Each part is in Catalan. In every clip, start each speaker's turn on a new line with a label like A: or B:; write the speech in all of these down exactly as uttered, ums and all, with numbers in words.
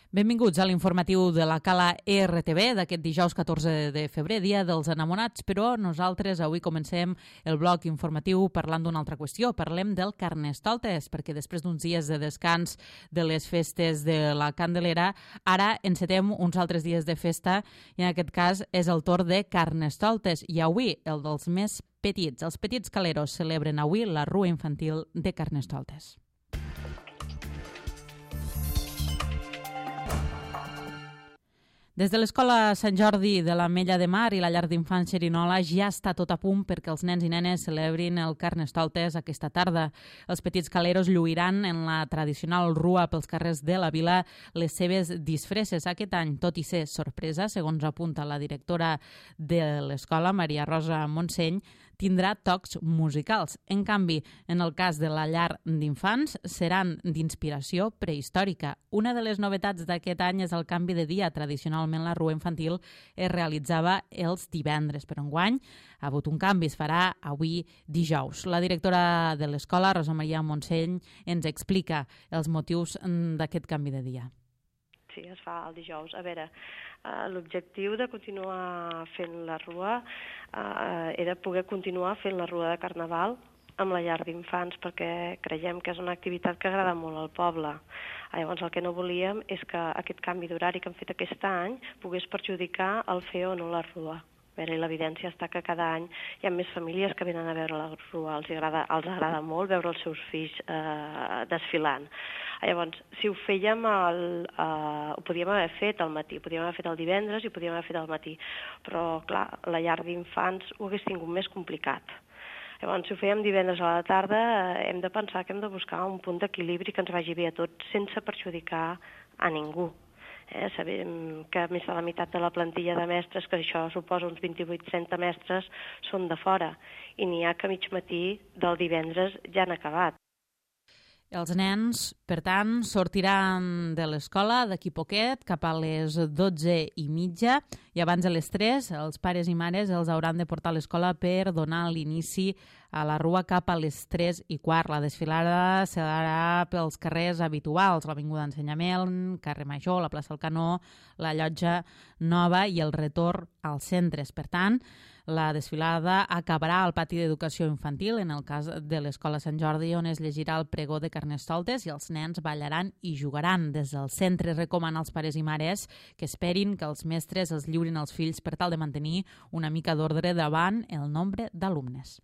A: Benvinguts a l'informatiu de la Cala R T V d'aquest dijous catorze de febrer, dia dels enamorats, però nosaltres avui comencem el bloc informatiu parlant d'una altra qüestió. Parlem del Carnestoltes, perquè després d'uns dies de descans de les festes de la Candelera, ara encetem uns altres dies de festa i en aquest cas és el torn de Carnestoltes i avui el dels més petits. Els petits caleros celebren avui la rua infantil de Carnestoltes. Des de l'Escola Sant Jordi de l'Ametlla de Mar i la llar d'infants Xerinola ja està tot a punt perquè els nens i nenes celebrin el Carnestoltes aquesta tarda. Els petits caleros lluiran en la tradicional rua pels carrers de la vila les seves disfresses. Aquest any, tot i ser sorpresa, segons apunta la directora de l'escola, Maria Rosa Montseny, tindrà tocs musicals. En canvi, en el cas de la llar d'infants, seran d'inspiració prehistòrica. Una de les novetats d'aquest any és el canvi de dia. Tradicionalment, la rua infantil es realitzava els divendres, però enguany ha hagut un canvi, es farà avui dijous. La directora de l'escola, Rosa Maria Montseny, ens explica els motius d'aquest canvi de dia.
B: Sí, es fa el dijous. A veure, eh, l'objectiu de continuar fent la rua eh, era poder continuar fent la rua de Carnaval amb la llar d'infants, perquè creiem que és una activitat que agrada molt al poble. Llavors, el que no volíem és que aquest canvi d'horari que hem fet aquest any pogués perjudicar el fer o no la rua. A veure, l'evidència està que cada any hi ha més famílies que venen a veure la rua, els agrada, els agrada molt veure els seus fills eh, desfilant. Llavors, si ho fèiem, el, eh, ho podíem haver fet al matí, ho podíem haver fet el divendres i ho podíem haver fet al matí, però clar, la llar d'infants ho hagués tingut més complicat. Llavors, si ho fèiem divendres a la tarda, eh, hem de pensar que hem de buscar un punt d'equilibri que ens vagi bé a tots sense perjudicar a ningú. Eh, sabem que més de la meitat de la plantilla de mestres, que això suposa uns vint-i-vuit centimestres, són de fora, i n'hi ha que mig matí del divendres ja han acabat.
A: Els nens, per tant, sortiran de l'escola d'aquí poquet, cap a les dotze i mitja, i abans de les tres, els pares i mares els hauran de portar a l'escola per donar l'inici a la rua cap a les tres i quart. La desfilada serà pels carrers habituals, l'Avinguda Ensenyament, carrer Major, la plaça del Canó, la Llotja Nova i el retorn als centres. Per tant, la desfilada acabarà al pati d'educació infantil, en el cas de l'Escola Sant Jordi, on es llegirà el pregó de Carnestoltes i els nens ballaran i jugaran. Des del centre recomana als pares i mares que esperin que els mestres els lliurin als fills per tal de mantenir una mica d'ordre davant el nombre d'alumnes.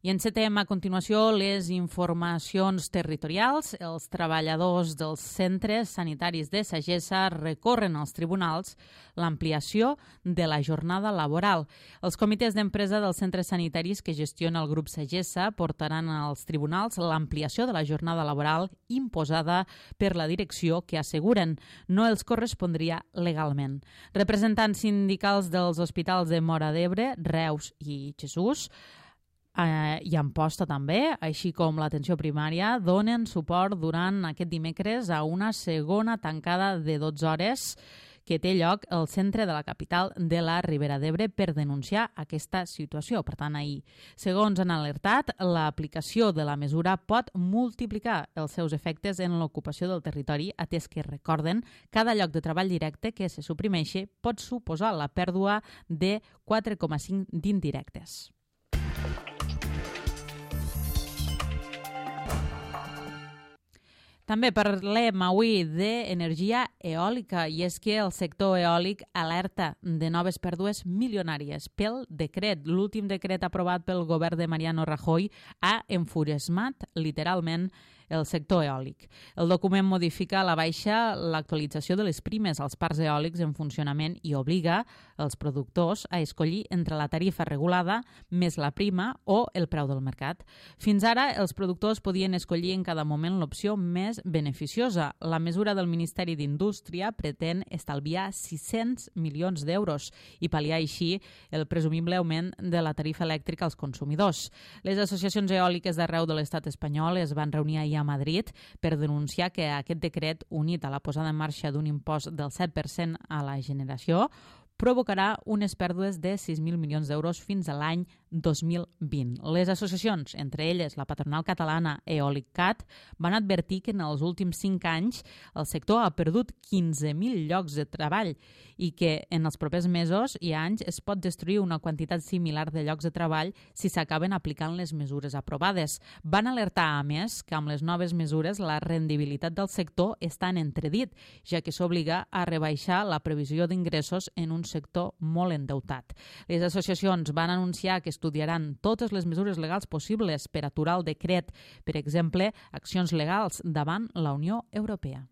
A: I encetem a continuació les informacions territorials. Els treballadors dels centres sanitaris de Sagessa recorren als tribunals l'ampliació de la jornada laboral. Els comitès d'empresa dels centres sanitaris que gestiona el grup Sagessa portaran als tribunals l'ampliació de la jornada laboral imposada per la direcció que asseguren no els correspondria legalment. Representants sindicals dels hospitals de Móra d'Ebre, Reus i Jesús Eh, i Amposta també, així com l'atenció primària, donen suport durant aquest dimecres a una segona tancada de dotze hores que té lloc al centre de la capital de la Ribera d'Ebre per denunciar aquesta situació. Per tant, ahir, segons han alertat, l'aplicació de la mesura pot multiplicar els seus efectes en l'ocupació del territori, atès que, recorden, cada lloc de treball directe que se suprimeixi pot suposar la pèrdua de quatre coma cinc d'indirectes. També parlem avui d'energia eòlica i és que el sector eòlic alerta de noves pèrdues milionàries pel decret. L'últim decret aprovat pel govern de Mariano Rajoy ha enfurismat literalment el sector eòlic. El document modifica a la baixa l'actualització de les primes als parcs eòlics en funcionament i obliga els productors a escollir entre la tarifa regulada més la prima o el preu del mercat. Fins ara, els productors podien escollir en cada moment l'opció més beneficiosa. La mesura del Ministeri d'Indústria pretén estalviar sis-cents milions d'euros i pal·liar així el presumible augment de la tarifa elèctrica als consumidors. Les associacions eòliques d'arreu de l'estat espanyol es van reunir ahir a Madrid per denunciar que aquest decret, unit a la posada en marxa d'un impost del set per cent a la generació, provocarà unes pèrdues de sis mil milions d'euros fins a l'any dos mil vint. Les associacions, entre elles la patronal catalana Eoliccat, van advertir que en els últims cinc anys el sector ha perdut quinze mil llocs de treball i que en els propers mesos i anys es pot destruir una quantitat similar de llocs de treball si s'acaben aplicant les mesures aprovades. Van alertar, a més, que amb les noves mesures la rendibilitat del sector està en entredit, ja que s'obliga a rebaixar la previsió d'ingressos en un sector molt endeutat. Les associacions van anunciar que estudiaran totes les mesures legals possibles per aturar el decret, per exemple, accions legals davant la Unió Europea.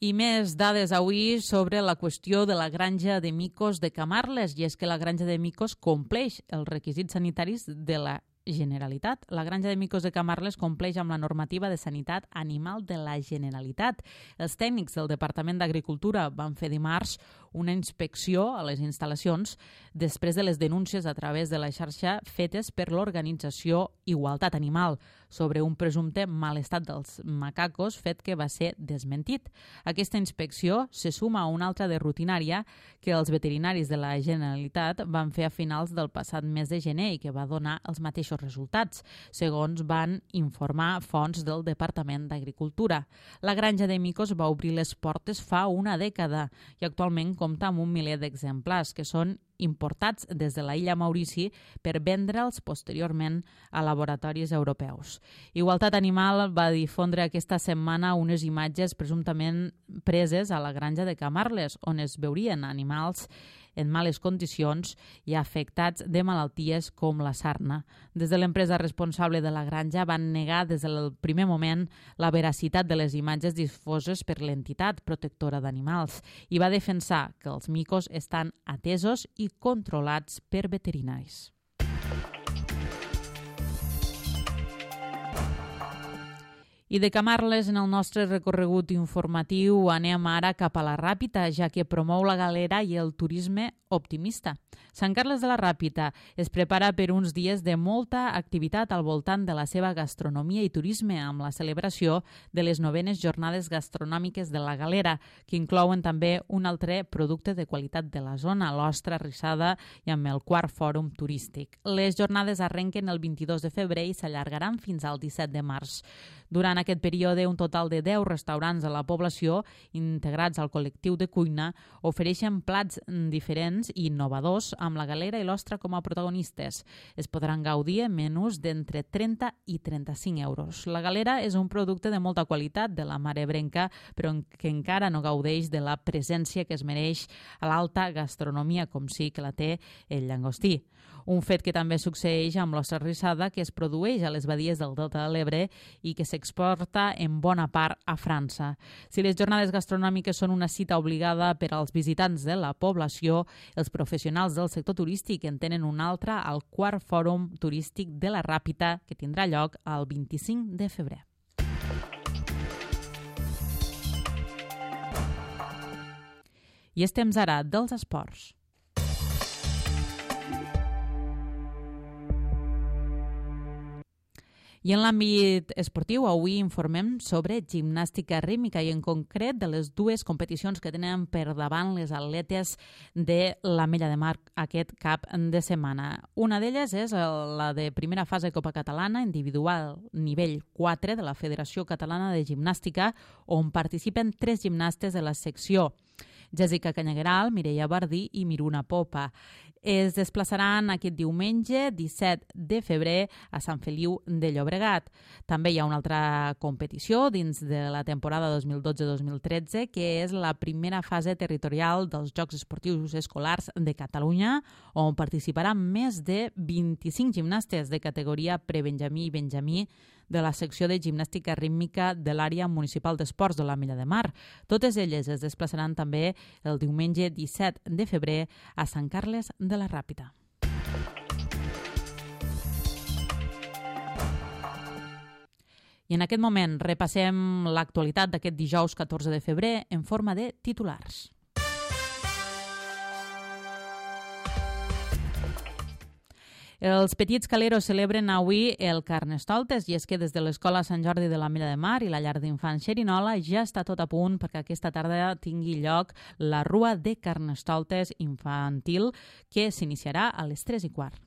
A: I més dades avui sobre la qüestió de la granja de micos de Camarles, i és que la granja de micos compleix els requisits sanitaris de la Generalitat. La granja de micos de Camarles compleix amb la normativa de sanitat animal de la Generalitat. Els tècnics del Departament d'Agricultura van fer dimarts una inspecció a les instal·lacions després de les denúncies a través de la xarxa fetes per l'organització Igualtat Animal sobre un presumpte mal estat dels macacos, fet que va ser desmentit. Aquesta inspecció se suma a una altra de rutinària que els veterinaris de la Generalitat van fer a finals del passat mes de gener i que va donar els mateixos resultats, segons van informar fonts del Departament d'Agricultura. La granja de micos va obrir les portes fa una dècada i actualment compta amb un miler d'exemplars que són importats des de la illa Maurici per vendre'ls posteriorment a laboratoris europeus. Igualtat Animal va difondre aquesta setmana unes imatges presumptament preses a la granja de Camarles, on es veurien animals en males condicions i afectats de malalties com la sarna. Des de l'empresa responsable de la granja van negar des del primer moment la veracitat de les imatges difoses per l'entitat protectora d'animals i va defensar que els micos estan atesos i controlats per veterinaris. I de Camarles, en el nostre recorregut informatiu, anem ara cap a la Ràpita, ja que promou la galera i el turisme optimista. Sant Carles de la Ràpita es prepara per uns dies de molta activitat al voltant de la seva gastronomia i turisme, amb la celebració de les novenes jornades gastronòmiques de la Galera, que inclouen també un altre producte de qualitat de la zona, l'ostra rissada, i amb el quart fòrum turístic. Les jornades arrenquen el vint-i-dos de febrer i s'allargaran fins al disset de març. Durant aquest període, un total de deu restaurants de la població, integrats al col·lectiu de cuina, ofereixen plats diferents i innovadors amb la galera i l'ostra com a protagonistes. Es podran gaudir en menús d'entre trenta i trenta-cinc euros. La galera és un producte de molta qualitat de la mar ebrenca, però que encara no gaudeix de la presència que es mereix a l'alta gastronomia, com sí que la té el llangostí. Un fet que també succeeix amb l'ostra rissada, que es produeix a les badies del Delta de l'Ebre i que s'exporta en bona part a França. Si les jornades gastronòmiques són una cita obligada per als visitants de la població, els professionals del sector turístic en tenen una altra al quart fòrum turístic de la Ràpita, que tindrà lloc el vint-i-cinc de febrer. I és temps ara dels esports. I en l'àmbit esportiu, avui informem sobre gimnàstica rítmica i en concret de les dues competicions que tenen per davant les atletes de l'Ametlla de Mar aquest cap de setmana. Una d'elles és la de primera fase Copa Catalana individual nivell quatre de la Federació Catalana de Gimnàstica, on participen tres gimnastes de la secció: Jessica Canyagueral, Mireia Bardí i Miruna Popa. Es desplaçaran aquest diumenge, disset de febrer, a Sant Feliu de Llobregat. També hi ha una altra competició dins de la temporada dos mil dotze dos mil tretze, que és la primera fase territorial dels Jocs Esportius Escolars de Catalunya, on participaran més de vint-i-cinc gimnastes de categoria prebenjamí i benjamí de la secció de gimnàstica rítmica de l'àrea municipal d'esports de l'Ametlla de Mar. Totes elles es desplaçaran també el diumenge disset de febrer a Sant Carles de la Ràpita. I en aquest moment repassem l'actualitat d'aquest dijous catorze de febrer en forma de titulars. Els petits caleros celebren avui el Carnestoltes i és que des de l'Escola Sant Jordi de la Mira de Mar i la llar d'infants Xerinola ja està tot a punt perquè aquesta tarda tingui lloc la Rua de Carnestoltes infantil que s'iniciarà a les tres i quart.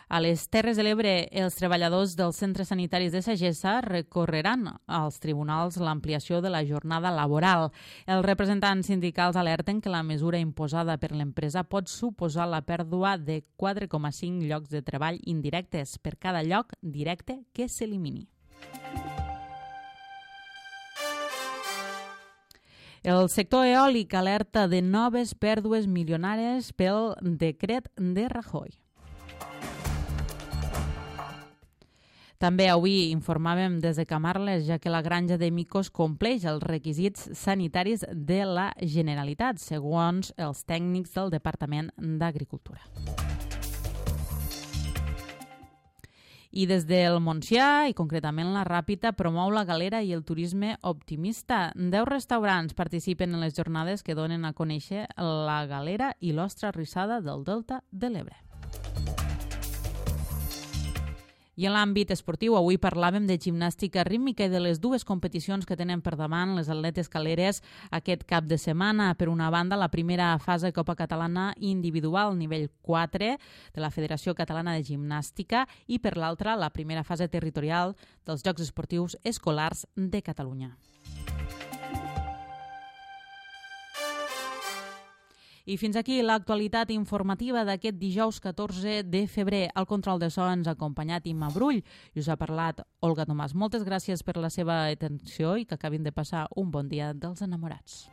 A: A les Terres de l'Ebre, els treballadors dels centres sanitaris de Sagessa recorreran als tribunals l'ampliació de la jornada laboral. Els representants sindicals alerten que la mesura imposada per l'empresa pot suposar la pèrdua de quatre coma cinc llocs de treball indirectes per cada lloc directe que s'elimini. El sector eòlic alerta de noves pèrdues milionàries pel decret de Rajoy. També avui informàvem des de Camarles, ja que la granja de micos compleix els requisits sanitaris de la Generalitat, segons els tècnics del Departament d'Agricultura. I des del Montsià, i concretament la Ràpita, promou la galera i el turisme optimista. Deu restaurants participen en les jornades que donen a conèixer la galera i l'ostra rissada del Delta de l'Ebre. I en l'àmbit esportiu, avui parlàvem de gimnàstica rítmica i de les dues competicions que tenen per davant les atletes caleres aquest cap de setmana. Per una banda, la primera fase Copa Catalana individual nivell quatre de la Federació Catalana de Gimnàstica i per l'altra, la primera fase territorial dels Jocs Esportius Escolars de Catalunya. I fins aquí l'actualitat informativa d'aquest dijous catorze de febrer. Al control de so ens ha acompanyat Imma Brull i us ha parlat Olga Tomàs. Moltes gràcies per la seva atenció i que acabin de passar un bon dia dels enamorats.